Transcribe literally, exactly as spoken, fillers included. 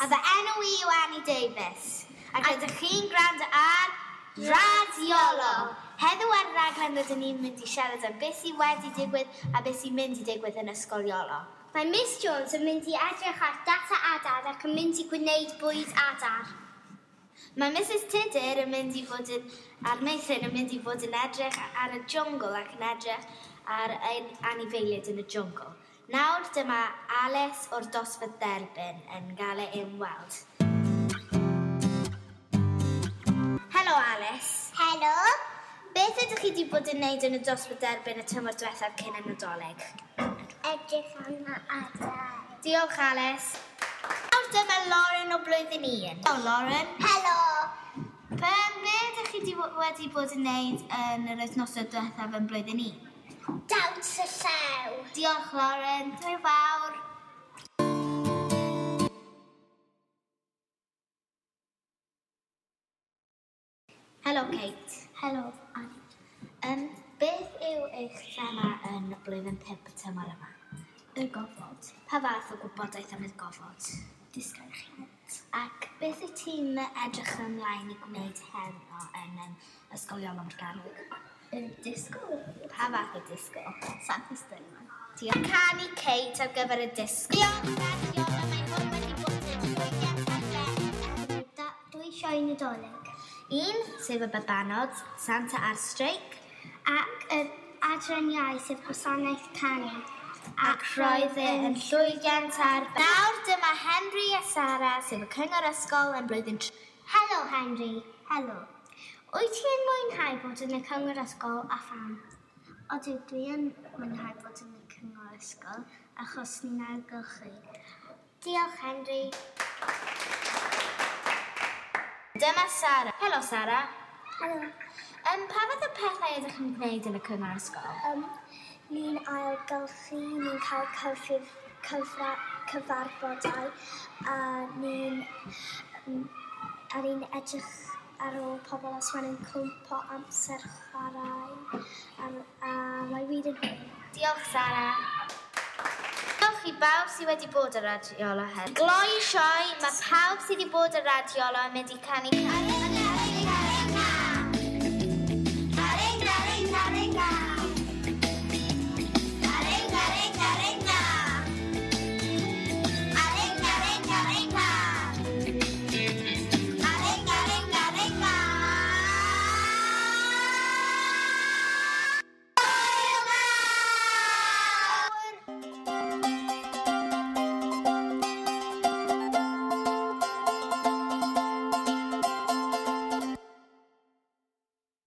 A fy enw i yw Annie Davies. Ac rydych chi'n gwrando ar Radiolo. Heddiw ar y raglen rydyn ni'n mynd i siarad am beth sydd wedi digwydd a beth sy'n mynd i digwydd yn Ysgol Iolo. Mae Miss Jones yn mynd i edrych ar data adar ac yn mynd i gwneud bwyd adar. Mae Missus Tudur yn mynd i fod yn, a'r meithrin yn mynd i fod yn edrych ar y jwngl ac yn edrych ar anifeiliaid yn y jwngl. Nawr dyma Alice o'r dosbarth derbyn yn gael ei ymweld. Helo Alice. Helo. Beth ydych chi wedi bod yn wneud yn y dosbarth derbyn y tymor diwethaf cyn y Nadolig? Edrych am y adar. Diolch Alice. Nawr dyma Lauren o blwyddyn un. Helo Lauren. Helo. Be, be ydych chi wedi bod yn wneud yn yr wythnosau diwethaf yn blwyddyn un? Dawns y llew. Diolch Lauren. Hwyl fawr. Helo Kate. Helo Annie. Um, beth yw eich thema yn blwyddyn pump y tymor yma? Y gofod. Pa fath o gwybodaeth am y gofod? Disgyrchiant. Ac beth wyt ti'n edrych ymlaen i gwneud heno yn um, Ysgol Iolo Morgannwg? Y disgo. Pa fath o disgo? Santa Steinman. Diolch. Canu Kate ar gyfer y disgo. Diolch, Radiola. Mae hwn wedi bod yn llwyddiant arbennig. Dwy sioe Nadolig. Un, sef y babanod, Santa ar streic. Ac yr adran iau, sef gwasanaeth canu. Ac roedd e yn llwyddiant ar... Nawr dyma Henry a Sara, sef y cyngor ysgol yn blwyddyn tri. Helo Henry. Helo. Wyt ti'n mwynhau bod yn y cyngor ysgol a pham? Odw, dwi yn mwynhau bod yn y cyngor ysgol achos ni'n ailgylchu. Diolch Henry. Dyma Sara. Helo Sara. Helo. Um, pa fath o pethau ydych chi'n gwneud yn y cyngor ysgol? Um, ni'n ailgylchu, ni'n cael cyfrif, cyfra, cyfarfodau a ni'n um, a ni'n edrych ar ôl pobl os maen nhw'n cwmpo amser chwarae a, a mae wir yn hwyl. Diolch Sara. Diolch i bawb sydd wedi bod ar Radiolo heddiw. Gloi sioe, mae pawb sydd wedi bod ar Radiolo yn mynd i canu canu.